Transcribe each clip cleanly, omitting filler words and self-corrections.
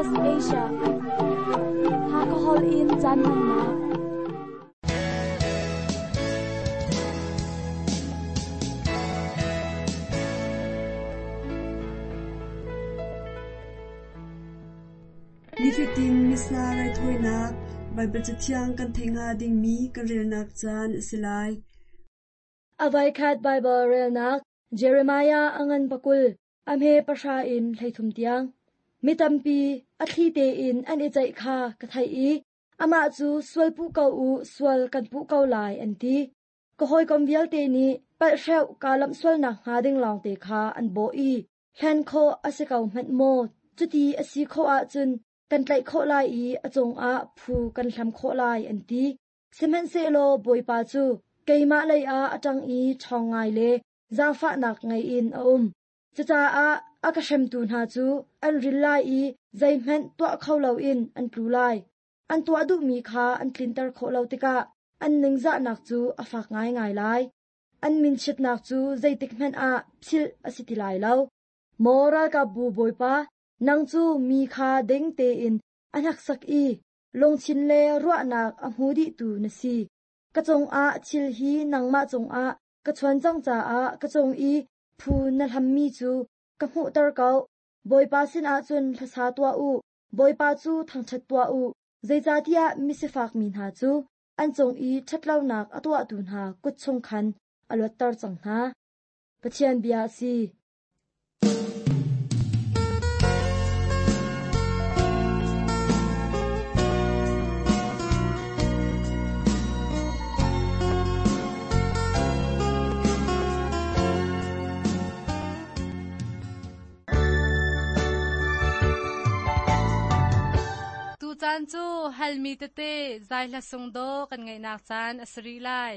SBS Asia. Hakha holh in caan hmannak. Nifatin Missa raithawinak Baibal Cathiang kan theih hnga dingmi kan relnak caan a si lai. A voikhat Baibal relnak Jeremiah a ngan pakul, a hme pahra in 13 tiang. Mi tampi a thli tein an i ceih kha ka theih i amah cu sual puh ko u, sual kan puh ko lai an ti. Ka hawikom vialte nih palhhreuh kaa lamh sualnak hnga ding lawngte kha an bawh i hlen khawh a si ko hmanh maw? Cuti a si khawh ahcun kan tlaih khawh lai i a cungah phu kan hlam khawh lai an ti. Sihmanhsehlaw Bawipa cu keimah leiah a ṭang i ṭhawng ngai le zaangfahnak ngei in a um. Cucaah a ka hremtu hna cu an ril lai i zeihmanh tuah kho loin an tlu lai. An tuah duhmi kha an tlinter khawh lo tikah an ningzahnak cu a fak ngaingai lai. An minchiatnak cu zeitikhmanh ah philh a si ti lai lo. Maw ralkapbu Bawipa, nang cu mi kha ding tein a hneksak i lungthin le ruahnak a hmu dihtu na si. Ka cungah thil hi nangmah cungah ka chuan cang caah ka cung i phu na hlammi cu ka hmuhter ko. Bawipa sinah cun hlasa tuah u, Bawipa cu thangṭhat tuah u, zeicahtiah misifak mi hna cu an cung i ṭhatlonak a tuahtu hna kut chung khan a luatter cang hna. Pathian bia a si. Tucaan cu halmi tete zai hla sung daw kan ngaihnak caan a si rih lai.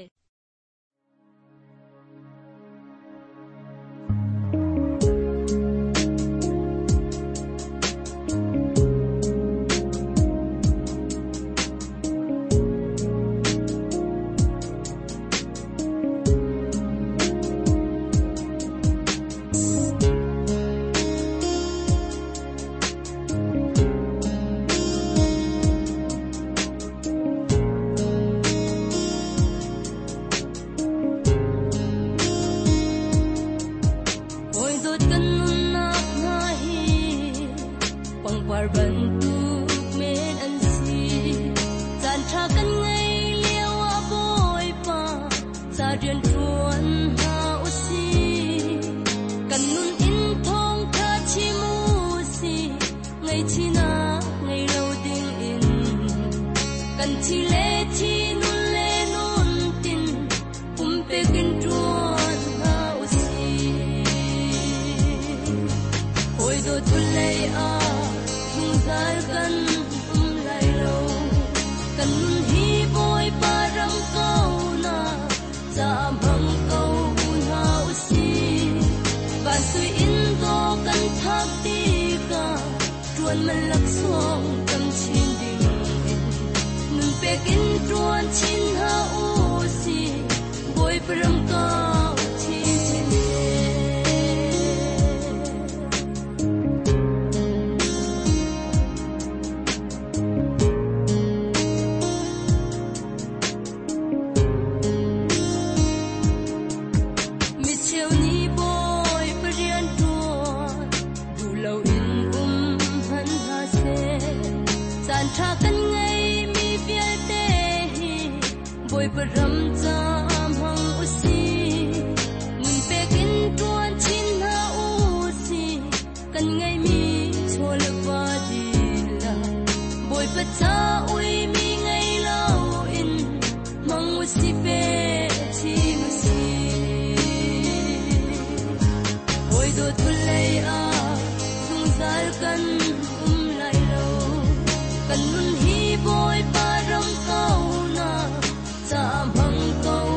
Kan nun hi Bawipa ram ko na, ca hmang ko.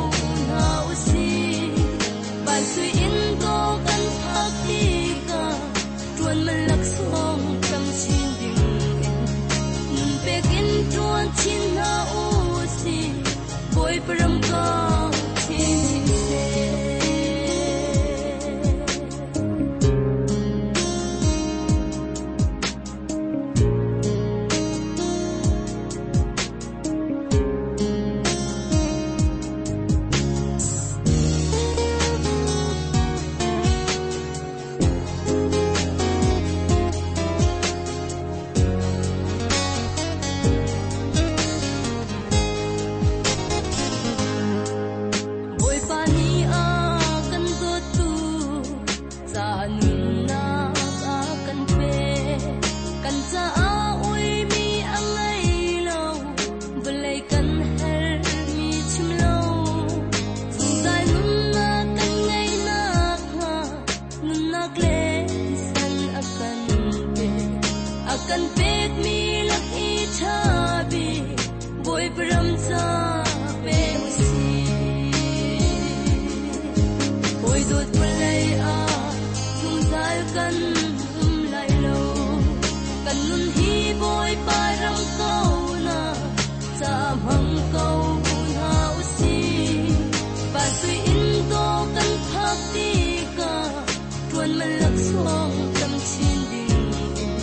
pekmi lak i ṭha bik Bawipa ram ca pe usih. Hawi dawt vawlei ah zungzal kan um lai lo. Kan nun hi Bawipa ram ko na ca hmang ko hna usih. Van sui inn dawh kan phak tikah ṭuan man laksawng tam chin ding in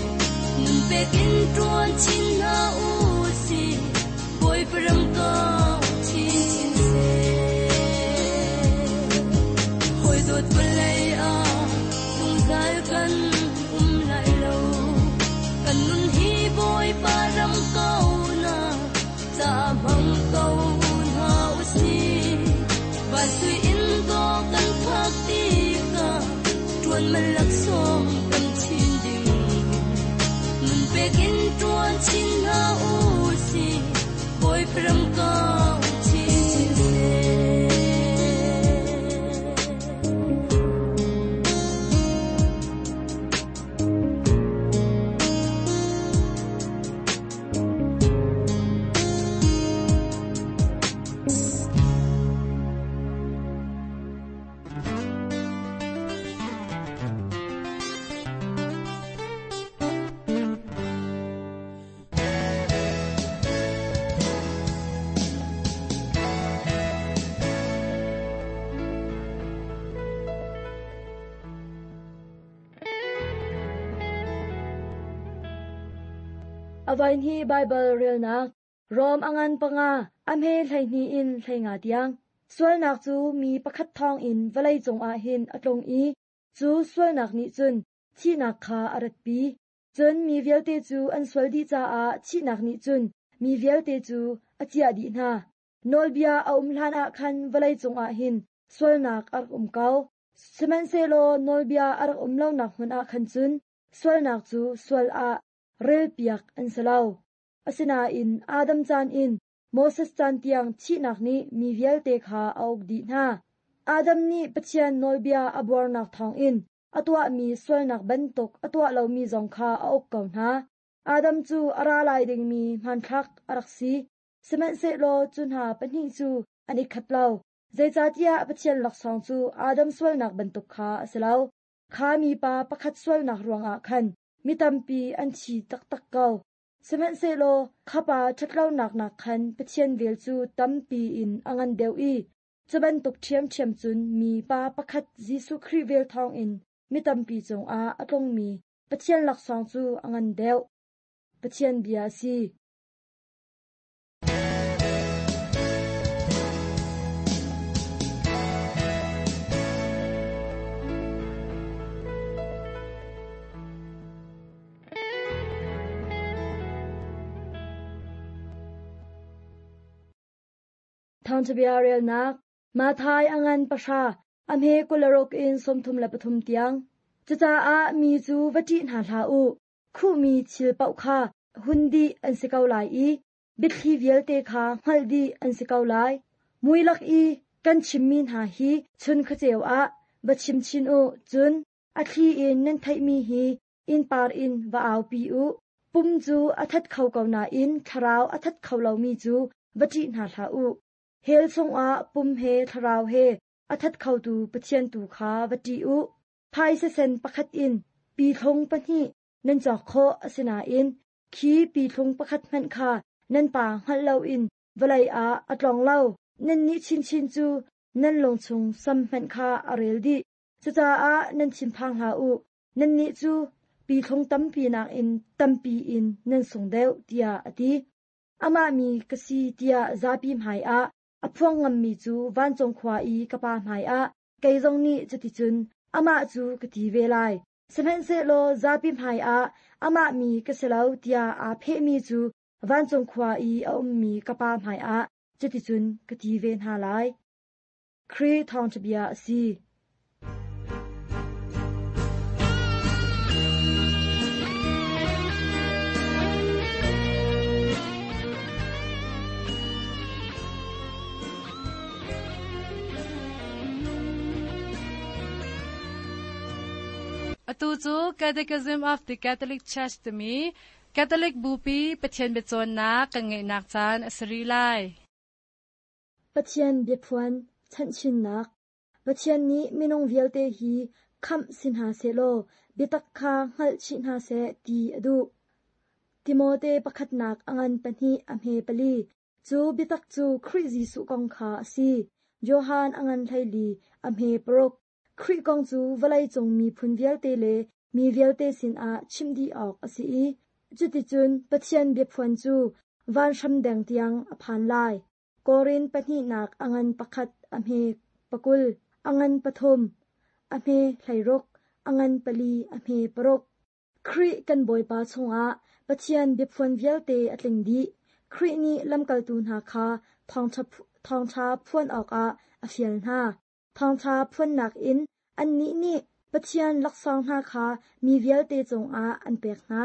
nun pek in ṭuan chin hna usih. Bawipa ram kau chinchin seh. Hawi dawt vawlei ah zungzal kan um lai lo. Kan nun hi Bawipa ram ko na ca hmang ko hna usih. Van sui inn dawh kan phak tikah ṭuan man laksawng tam chin ding in nun pek in ṭuan chin hna usih. Bawipa ram kau chinchin seh. Avain hi Baibal relnak Rom a ngan panga a hme 12 in 15 tiang. Sualnak cu mi pakhat thawng in vawlei cungah hin a tlung i cu sualnak nih cun thihnak kha a ratpi. Cun mi vialte cu an sual dih caah thihnak nih cun mi vialte cu a ciah dih hna. Nawlbia a um hlan ah khan vawlei cungah hin sualnak a rak um ko. Sihmanhsehlaw nawlbia a rak um lonak hmun ah khan cun sualnak cu sual ah relpiak an si lo. Asinain Adam caan in Moses caan tiang thihnak nih mi vialte kha a uk dih hna. Adam nih Pathian nawlbia a buarnak thawngin a tuahmi sualnak bantuk a tuah lomi zong kha a uk ko hna. Adam cu a ra lai dingmi hmanthlak a rak si. Sihmanhsehlaw cu hna pahnih cu an i khat lo. Zeicahtiah Pathian laksawng cu Adam sualnak bantuk kha a si lo. Kha mipa pakhat sualnak ruangah khan mi tampi an thi taktak ko. Sihmanhsehlaw kha pa ṭhatlonak nak khan Pathian vel cu tampi in a ngan deuh i cu bantuk ṭhiamṭhiam cun mi pa pakhat Jesuh Khrih vel thawngin mi tampi cungah a tlungmi Pathian laksawng cu a ngan deuh. Pathian bia a si. Thawngṭhabia relnak Matthai a ngan pahra, a hme 26 in 33 tiang. Cucaah mi cu va ṭih hna hlah u. Khuhmi thil paoh kha hun dih an si ko lai i biathli vialte kha hngalh dih an si ko lai. Mui lak i kan chimmi hna hi chun khuaceu ah va chim chin u, cun a thli in nan theihmi hi innpar in va aupi u. Pum cu a that kho ko nain thlarau a that kho lomi cu va ṭih hna hlah u. Hell chungah pum he thlarau he a that khotu Pathian tu kha va ṭih u. Phaisa sen pakhat in pithlung pahnih nan cawk khawh asinain khi pithlung pakhat hmanh kha nan pa hngalh loin vawlei ah a tlong lo. Nannih chinchin cu nan lung chung sam hmanh kha a rel dih. Cucaah nan thinphang hlah u. Nannih cu pithlung tampi nakin tampi in nan sung deuh, tiah a ti. Amah mi ka si tiah zapi hmaiah a phuang ngammi cu vancung khua i ka Pa hmaiah kei zong nih cuticun amah cu ka ti ve lai. Sihmanhsehlaw zapi hmaiah amah mi ka si lo tiah aa phehmi cu vancung khua i a ummi ka Pa hmaiah cuticun ka ti ve hna lai. Khrih thawngṭha bia a si. Atu cu Catechism of the Catholic Church timi Catholic Bupi Pathian biacawnnak kan ngeihnak caan a si rih lai. Pathian biaphuan chanhchinnak Pathian nih minung vialte hi khamh si hna sehlaw biatak kha hngalh chih hna seh ti a duh. Timote pakhatnak a ngan pahnih a hme pali Cu biatak cu Khrih Jesuh kong kha a si. Johan a ngan 14 a hme paruk. Khrih kong cu vawleicung miphun vialte le mi vialte sinah chimh dih awk a si i cuticun Pathian biaphuan cu vanhram deng tiang a phan lai. Korin pahnihnak a ngan pakhat a hme pakul, a ngan pathum, a hme 16, a ngan pali a hme paruk. Khrih kan Bawipa chungah Pathian biaphuan vialte a tling dih. Khrih nih lamkaltu hna kha thawngṭha phuan awkah a fial hna. Thawngṭha phuannak in annih nih Pathian laksawng hna kha mi vialte cungah an pek hna.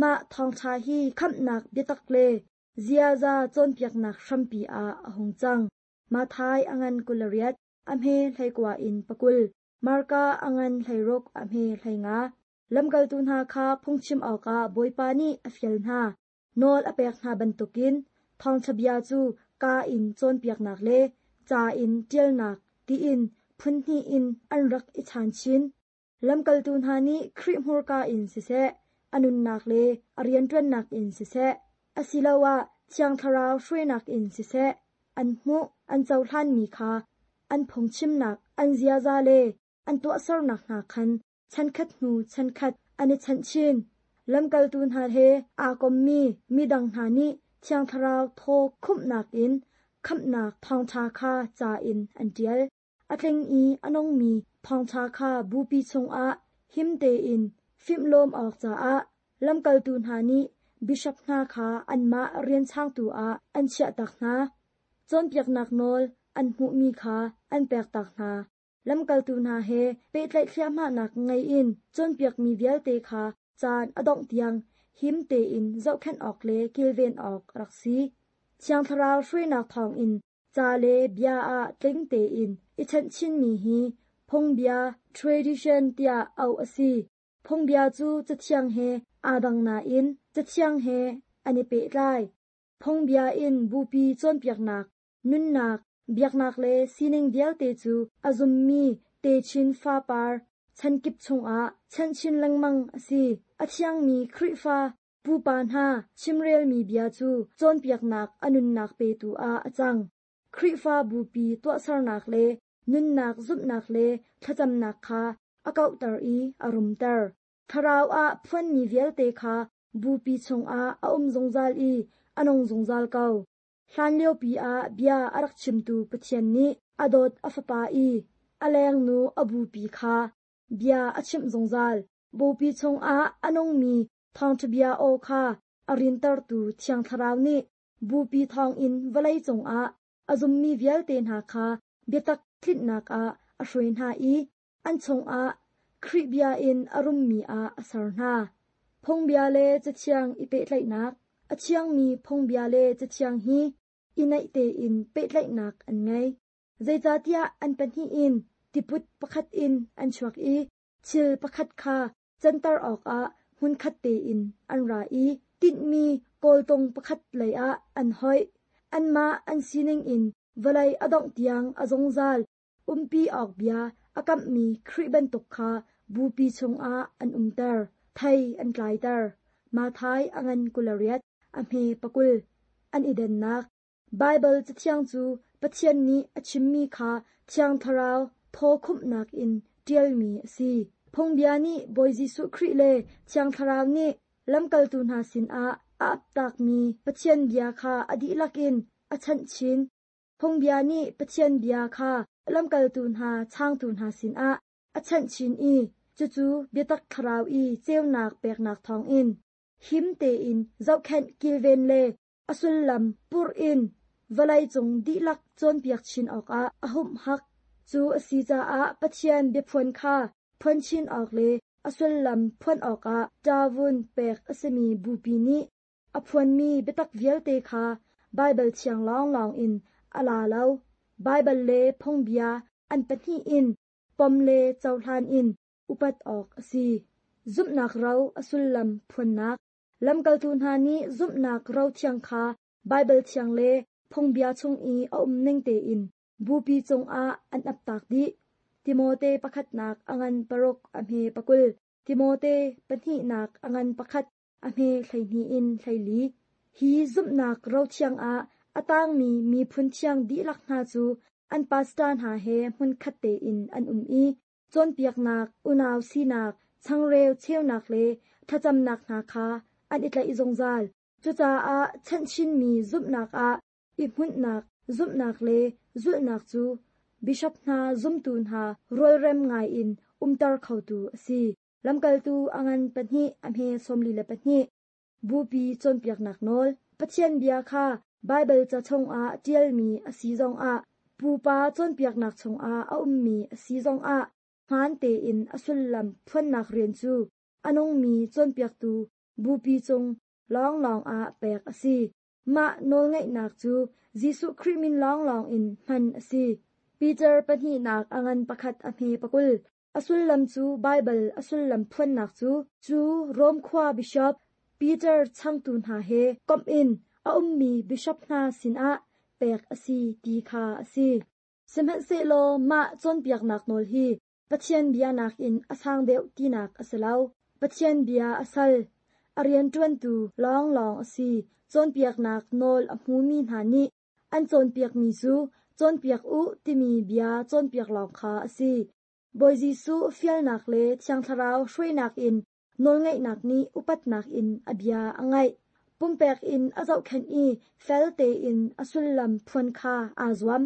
Mah thawngṭha hi khamhnak biatak le ziaza cawnpiaknak hrampi ah a hung cang. Matthai a ngan 28, a hme 19 in 20, Marka a ngan 16, a hme 15. Lamkaltu hna kha phungchim awkah Bawipa nih a fial hna. Nawl a pek hna bantukin thawngṭha bia cu kaa in cawnpiaknak le ca in ṭialnak tiin phun hnih in an rak i chaan chin. Lamkaltu hna nih Khrih hmurka in siseh, a nunnak le a rianṭuannak in siseh, asiloah Thiang Thlarau hruainak in siseh, an hmuh, an cohlanmi kha an phungchimnak, an ziaza le an tuahsernak hna khan chankhat hnu chankhat an i chanh chin. Lamkaltu hna he aa kommi midang hna nih Thiang Thlarau thaw khumhnak in khamhnak thawngṭha kha ca in an ṭial. A tling i a nungmi thawngṭha kha bupi chungah him tein fimhlawm awk caah lamkaltu hna nih bishop hna kha anmah rian changtu ah an chiahtak hna. Cawnpiaknak nawl an hmuhmi kha an pektak hna. Lamkaltu hna he pehtlaih thliahmahnak ngei in cawnpiakmi vialte kha caan a dongh tiang him tein zohkhenh awk le kilven awk a rak si. Thiang Thlarau hruainak thawngin ca le bia ah tling tein i chanhchinmi hi phungbia tradition tiah auh a si. Phungbia cu Cathiang he aa dang nain Cathiang he an i pehtlai. Phungbia in bupi cawnpiaknak Nunnak, biaknak le sining vialte cu a zummi techin fapar chankip chungah chanhchin lengmang a si. A thiangmi Khrihfa pupa hna chimrelmi bia cu cawnpiaknak a nunnak petu ah a cang. Khrihfa bupi tuahsernak le nunnak zumhnak le thlacamnak kha a kauhter i a rumter. Thlarau ah phuanmi vialte kha bupi chungah a um zungzal i a nung zungzal ko. Hlanliopi ah bia a rak chimtu Pathian nih a dawt a Fapa i a lengnu a bupi kha bia a chimh zungzal. Bupi chungah a nungmi thawngṭha bia aw kha a rintertu Thiang Thlarau nih bupi thawngin vawlei cungah a zummi vialte hna kha biatak tlinhnak ah a hruai hna i an chungah Khrih bia in a rummi ah a ser hna. Phungbia le Cathiang i pehtlaihnak A thiangmi phungbia le Cathiang hi i naih tein pehtlaihnak an ngei. Zeicahtiah an pahnih in tiput pakhat in an chuak i thil pakhat kha canter awkah hmunkhat tein an ra i tinhmi kawltung pakhat leiah an hoih. Anmah an sining in vawlei a dongh tiang a zungzal umpi awk bia a kamhmi Khrih bantuk kha bupi chungah an umter, thei an tlaiter. Matthai a ngan 28, a hme 20. An i dennak Baibal Cathiang cu Pathian nih a chimmi kha Thiang Thlarau thaw khumhnak in ṭialmi a si. Phungbia nih Bawi Jesuh Khrih le Thiang Thlarau nih lamkaltu hna sinah a aptakmi Pathian bia kha a dihlak in a chanh chin. Phungbia nih Pathian bia kha lamkaltu hna changtu hna sinah a chanh chin i cucu biatak thlarau i ceunak peknak thawngin him tein zohkhenh kilven le a sullam purh in vawleicung dihlak cawnpiak chin awkah a humhak. Cu a si caah Pathian biaphuan kha phuan chin awk le a sullam phuan awkah ṭavun pek a simi bupi nih A phuanmi biatak vialte kha Baibal thiang lawnglawng in a la lo. Baibal le phungbia an pahnih in pom le cohlan in upat awk a si. Zumhnak ro a sullam phuannak. Lamkaltu hna nih zumhnak rothiang kha Baibal thiang le phungbia chung i a um ning tein bupi cungah an aptak dih. Timote pakhatnak a ngan paruk a hme pakul, Timote pahnihnak a ngan pakhat a hme 12 in 14. Hi zumhnak rothiang ah a tangmi miphun thiang dihlak hna cu an pastor hna he hmunkhat tein an um i cawnpiaknak, unau sinak, changreu cheunak le thlacamnak hna kha an i tlaih zungzal. Cucaah chanhchinmi zumhnak ah i hmunhnak, zumhnak le zulhnak cu bishop hna zumtu hna rualrem ngaiin umter khotu a si. Lamkaltu a ngan pahnih a hme 42. Bupi cawnpiaknak nawl. Pathian bia kha Baibal ca chungah ṭialmi a si zongah, pupa cawnpiaknak chungah a ummi a si zongah hmaan tein a sullam phuannak rian cu a nungmi cawnpiaktu bupi cung lawnglawng ah pek a si. Mah nawlngeihnak cu Jesuh Khrih min lawnglawng in hman a si. Peter pahnihnak a ngan pakhat a hme pakul. A sullam cu Baibal a sullam phuannak cu cu Rom khua bishop Peter changtu hna he komh in a ummi bishop hna sinah pek a si ti kha a si. Sihmanhsehlaw mah cawnpiaknak nawl hi Pathian bia nakin a sang deuh tinak a si lo. Pathian bia a sal, a rianṭuantu lawnglawng a si. Cawnpiaknak nawl a hmumi hna nih an cawnpiakmi cu cawnpiak u timi bia cawnpiak lawng kha a si. Bawi Jesuh fialnak le Thiang Thlarau hruainak in nawlngeihnak nih upatnak in a bia a ngaih. Pumpek in a zohkhenh i fel tein a sullam phuan kha aa zuam.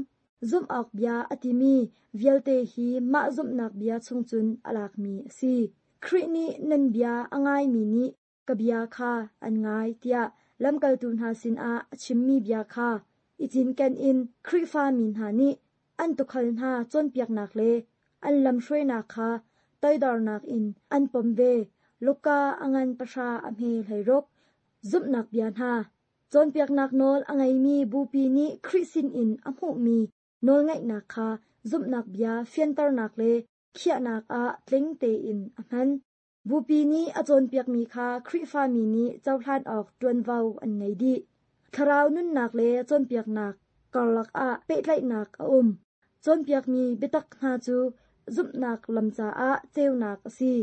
Zumh awk bia a timi vialte hi mah zumhnak bia chung cun a lakmi a si. Khrih nih nan bia a ngaimi nih ka bia kha an ngai tiah lamkaltu hna sinah a chimmi bia kha i cinken in Khrihfa mi hna nih an tuukhal hna cawnpiaknak le an lamhruainak kha toidornak in an pom ve. Luka a ngan pahra a hme 16. Zumhnak bia hna. Cawnpiaknak nawl a ngeimi bupi nih Khrih sinin a hmuhmi nawlngeihnak kha zumhnak bia fianternak le khiahnak ah tling tein a hman. Bupi nih a cawnpiakmi kha Khrihfami nih cohlan awk ṭuanvo an ngei dih. Thlarau nunnak le cawnpiaknak karlak ah pehtlaihnak a um. Cawnpiakmi biatak hna cu zumhnak lam caah ceunak a si.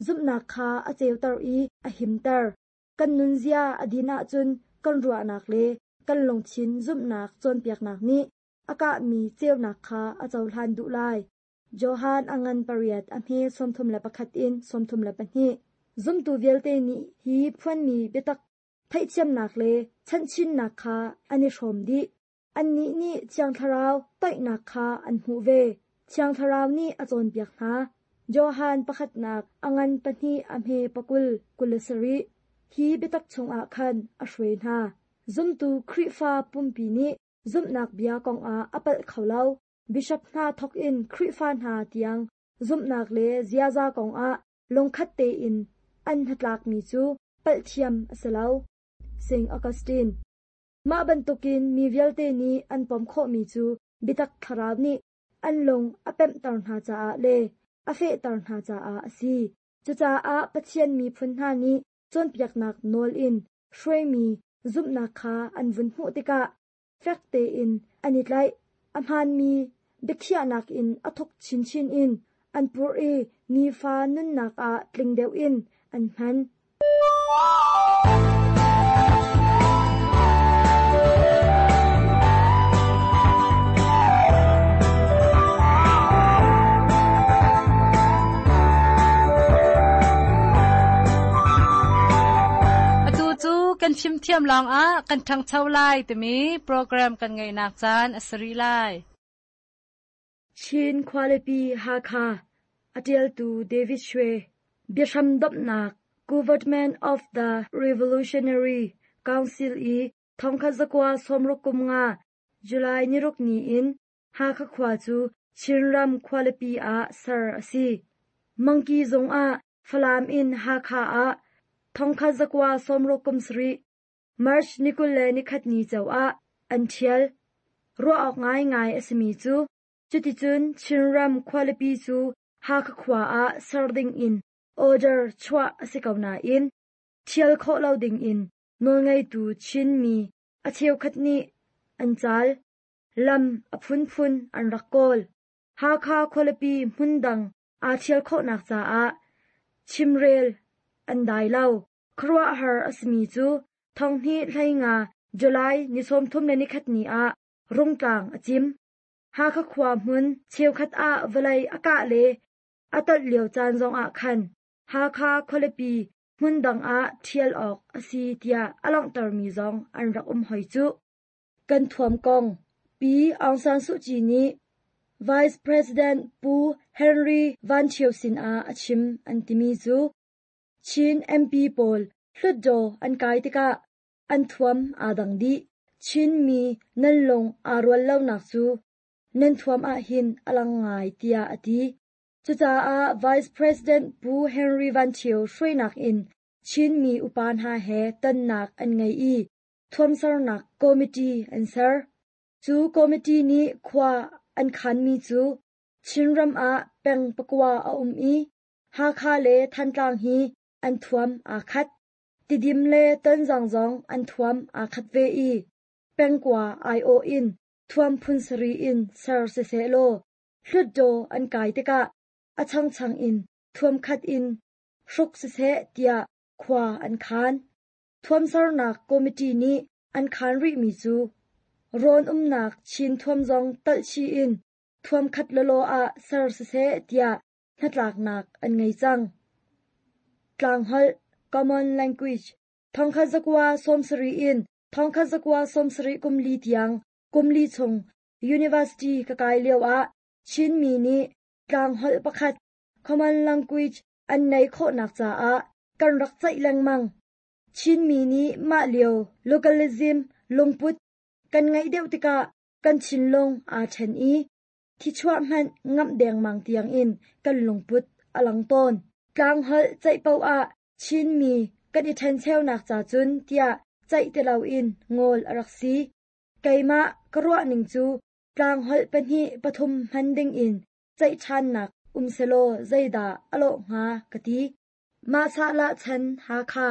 Zumhnak kha a ceuter i a himter. Kan nunzia a din ahcun kan ruahnak le kan lungthin zumhnak cawnpiaknak nih a kahmi ceunak kha a cohlan duh lai. Johan a ngan pariat a hme 31 in 32. Zumtu vialte nih hi phuanmi biatak theihthiamnak le chanhchinnak kha an i hrawm dih. Annih nih Thiang Thlarau toihnak kha an hmuh ve. Thiang Thlarau nih a cawnpiak hna. Johan pakhatnak a ngan pahnih a hme pakul 27. Hi biatak chungah khan a hruai hna. Zumtu Khrihfa pumpi nih zumhnak bia kongah a palh kho lo. Bishop hna thawkin Khrihfa hna tiang zumhnak le ziaza kongah lungkhat tein an hnatlakmi cu palhthiam a si lo. St. Augustine Mah bantukin mi vialte nih an pom khawhmi cu biatak thlarau nih an lung a pemhter hna caah le a fehter hna caah a si. Cucaah Pathian miphun hna nih cawnpiaknak nawl in hruaimi zumhnak kha an vun hmuh tikah fek tein an i tlaih. A hmaanmi biakhiahnak in a thuk chinchin in an purh i nifa nunnak ah tling deuh in an hman. Atu cu kan fimthiam lawngah kan ṭhangcho lai timi program kan ngeihnak caan a si rih lai. Chin khualipi Hakha a ṭialtu David Shwe biahram domhnak Government of the Revolutionary Council i 1965 July niruk ni in Hakha khua cu Chinram khualipi ah ser a si. Mangki zung ah Falam in Hakha ah 1967 March ni 21 ni ceu ah an ṭhial. Ruah awk ngaingai a simi cu cuticun Chinram khualipi cu Hakha khua ah ser dingin order chuah a si ko nain. Ṭhial khawh lo dingin nawlngeitu Chinmi a cheukhat nih an caal. Lam a phunphun an rak kawl. Hakha khualipi hmundang aa ṭhial khawhnak caah chimrel an dai lo. Khuaruahhar a simi cu thonghnih 15 July ni 31 ni ah Rungtlang a cim. Hakha khua hmun cheukhat ah vawlei a kah le a tolh lio caan zongah khan Hakha khualipi hmundang ah ṭhial awk a si tiah a langhtermi zong an rak um hoi cuh. Kan thuam kong Pi Aung San Suu Kyi nih Vice President Pu Henry Van Ṭhio sinah a chim an timi cu Chin MP pawl Hlutdaw an kai tikah an thuam aa dang dih. Chinmi nan lung aa rual lonak cu nan thuam ahhin a lang ngai tiah a ti. Cucaah Vice President Pu Henry Van Ṭhio hruainak in Chinmi upa hna he tonnak an ngei i thuamsernak committee an ser. Cu committee nih khua an khanmi cu Chinram ah peng pakua a um i Hakha le Thantlang hi an thuam aa khat. Tidim le Tonzang zong an thuam aa khat ve i pengkua aiawh in thuam phun sarih in ser siseh law Hlutdaw an kai tikah a changchang in thuam khat in hruk siseh tiah khua an khan. Thuamsernak committee nih an khan rihmi cu rawn umnak Chin thuam zong talhchih in thuam khat lawlaw ah ser siseh tiah hnatlaknak an ngei cang. Tlangholh Common Language 1970 in 1974 kum li tiang kum li chung University ka kai lioah Chinmi nih tlangholh pakhat Common Language an neih khawhnak caah kan rak ceih lengmang. Chinmi nih mah lio localism lungput kan ngeih deuh tikah kan thinlung aa ṭhen i thichuah hmanh ngamh dengmang tiangin kan lungput a lang tawn. Tlangholh ceih paoh ah Chinmi kan i ṭhencheunak ca cun tiah ceih ti loin ngawl a rak si. Keimah ka ruahning cu tlangholh pahnih pathum hman dingin ceih ṭhannak um selaw zeidah a lawh hnga ka ti. Mah sahlah chan Hakha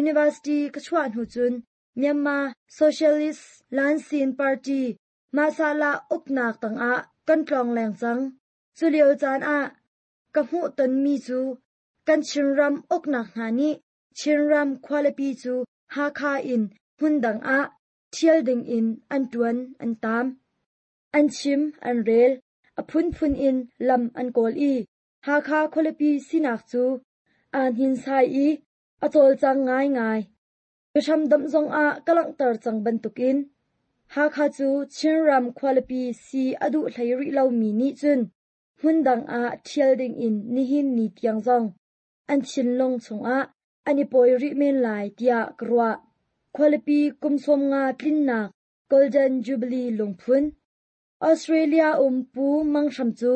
University ka chuah hnu cun Myanmar Socialist Lansin Party mah sahlah uknak tangah kan tlawngleng cang. Cu lio caan ah ka hmuh tonmi cu kan Chinram uknak hna nih Chinram khualipi cu Hakha in hmundang ah ṭhial dingin an ṭuan an taam. An chim an rel, a phunphun in lam an kawl i Hakha khualipi sinak cu aa hninsai i a cawlcang ngaingai. Biahramdomh zongah ka langhter cang bantukin Hakha cu Chinram khualipi si a duh hlei rih lomi nih cun hmundang ah ṭhial dingin nihin ni tiang zong an thinlung chungah an i pawi rih men lai tiah ka ruah. Khualipi kum 50 tlinnak Golden Jubilee lungphun Australia um Pu Mang Hram cu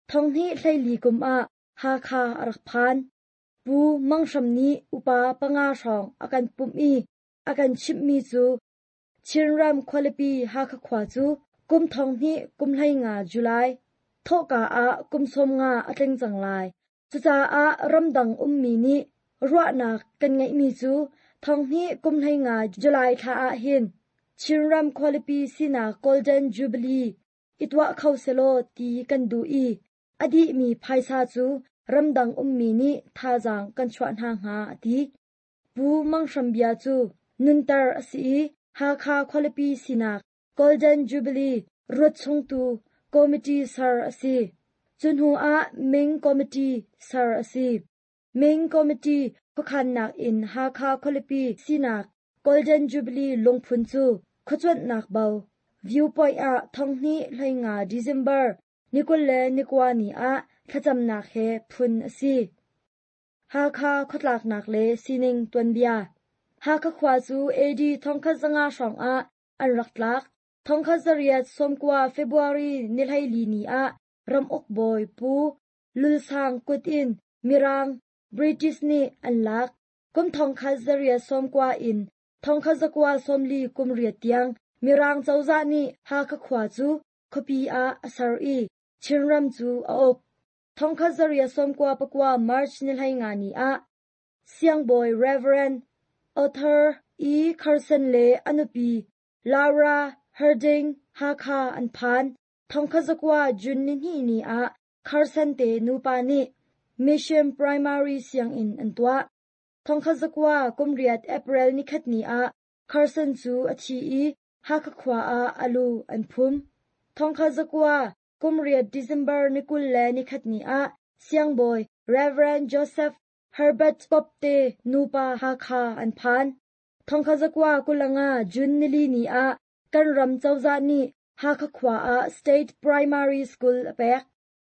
2014 kum ah Hakha a rak phan. Pu Mang Hram nih upa panga hrawng a kan pumh i a kan chimhmi cu Chinram khualipi Hakha khua cu kum 2015 July thawhka ah kum 50 a tling cang lai. Cucaah ramdang ummi nih ruahnak kan ngeihmi cu 2015 July thla ah hin Chinram khualipi sinak Golden Jubilee i tuah kho selaw ti kan duh i a dihmi phaisa cu ramdang ummi nih thazaang kan chuah hna hnga a ti. Pu Mang Hram bia cu nunter a si i Hakha khualipi sinak Golden Jubilee ruat chungtu committee ser a si. Cu hnu ah Ming Committee ser a si. Ming Committee khuakhannak in Hakha khualipi sinak Golden Jubilee lungphun cu khuacuanhnak bo viewpoint ah 2015 December ni 29 ni ah thlacamnak he phun a si. Hakha khuatlaknak le sining tuanbia Hakha khua cu AD 1500 hrawngah an rak tlak. 1890 February ni 14 ni ah ramuk bawi Pu Lul Sang kut in Mirang British nih an lak. Kum 1890 in 1940 kum riat tiang Mirang cozah nih Hakha khua cu khuapi ah a ser i Chinram cu a uk. 1994 March ni 15 ni ah Siangbawi Rev. Arthur E. Carson le a nupi Laura Harding Hakha an phan. 1900 June nihnih ni ah Carson te nupa nih Mission Primary sianginn an tuah. 1908 April nikhat ni ah Carson cu a thi i Hakha khua ah a lu an phum. 1908 December ni 21 ni ah Siangbawi Rev. Joseph Herbert Pope te nupa Hakha an phan. 1925 June nili ni ah kan ram cozah nih Hakha khua ah State Primary School a pek.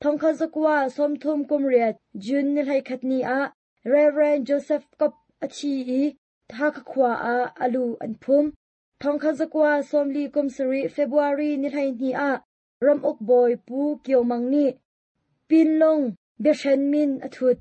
1938 June ni 11 ni ah Rev. Joseph Kopp a thi i Hakha khua ah a lu an phum. 1947 February ni 12 ah ramuk bawi Pu Kio Mang nih Pinlung biahren min a thut.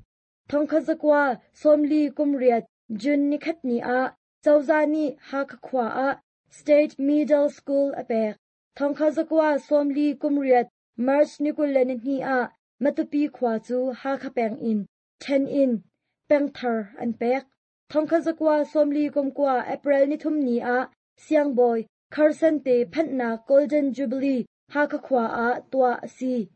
1948 June ni khat ni ah cozah nih Hakha khua ah State Middle School a pek. 1948 March ni 22 ah Matupi khua cu Hakha peng in ṭhen in pengthar an pek. 1949 April ni thum ni ah Siangbawi Carson te phanhnak Golden Jubilee Hakha khua ah tuah a si.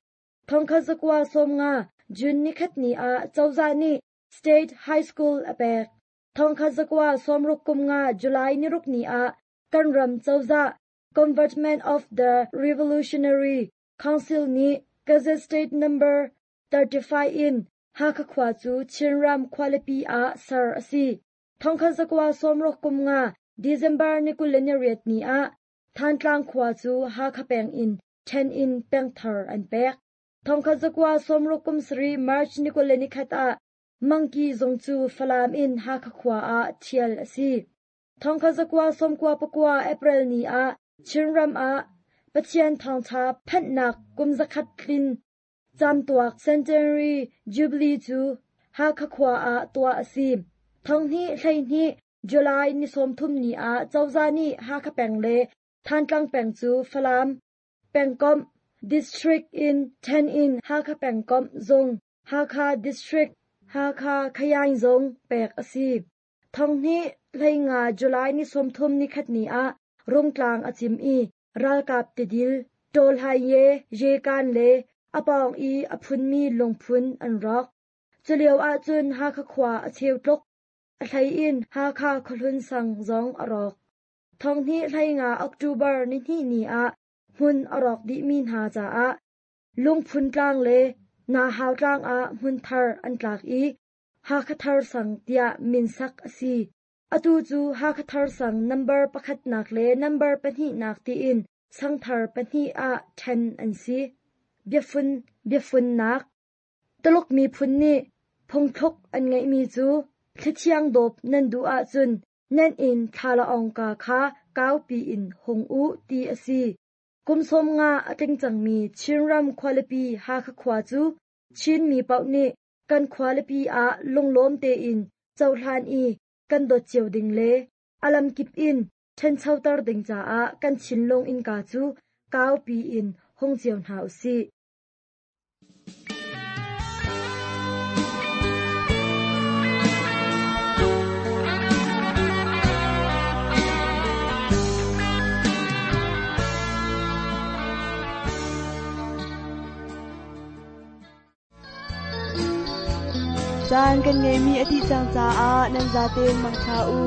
1950 June ni khat ni ah cozah nih State High School a pek. 1965 July ni ruk ni ah kan ram cozah Convertment of the Revolutionary Council nih Gazette State Number 35 in Hakha khua cu Chinram khualipi ah ser a si. 1965 December ni 28 ni ah Thantlang khua cu Hakha peng in ṭhen in pengthar an pek. 1967 March ni 21 ah Mangki zung cu Falam in Hakha khua ah ṭhial a si. 1994 April ni ah Chinram ah Pathian thawngṭha phanhnak kum zakhat tlin camtuak Centenary Jubilee cu Hakha khua ah tuah a si. 2012 July ni 30 ni ah cozah nih Hakha peng le Thantlang peng cu Falam pengkomh District in ṭhen in Hakha pengkomh zung Hakha District Hakha Khayaing zung pek a si. 2015 July ni 30 nikhat ni ah Rungtlang a cim i ralkap tidil Tawlhai Yekan le a pawng i a phunmi lungphun an rawk. Culio ahcun Hakha khua a cheu tluk. A hlei in Hakha khuahlun sang zong a rawk. 2015 October ni hnih ni ah hmun a rawk dihmi hna caah Lungphun tlang le Nahau tlang ah hmun thar an tlak i Hakha Thar Sang tiah min sak a si. Atu cu Hakha Thar Sang nambar pakhatnak le nambar pahnihnak tiin sangthar pahnih ah ṭhen an si. Biafun biafunnak Tuluk miphun nih phungthluk an ngeihmi cu thlithiang dawp nan duh ahcun nan inn thlalaawngka kha kaupi in hung u ti a si. Kum 50 a tling cangmi Chinram khualipi Hakha khua cu Chinmi paoh nih kan khualipi ah lunglawm tein cohlan i kan dawt cio ding le a lamkip in ṭhanchoter ding caah kan thinlung innka cu kaupi in hung cio hna u sih. Caan kan ngeihmi a dih cang caah nan zaten mangṭha u.